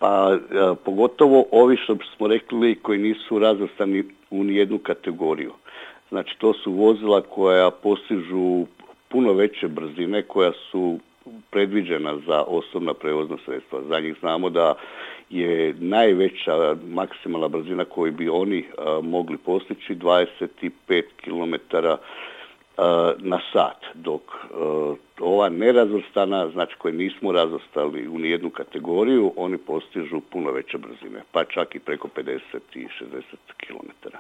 Pa pogotovo ovi što smo rekli koji nisu razvrstani u nijednu kategoriju. Znači to su vozila koja postižu puno veće brzine, koja su predviđena za osobna prevozna sredstva. Za njih znamo da je najveća maksimalna brzina koju bi oni mogli postići 25 km na sat, dok ova nerazvrstana, znači koje nismo razvrstali u nijednu kategoriju, oni postižu puno veće brzine, pa čak i preko 50 i 60 km.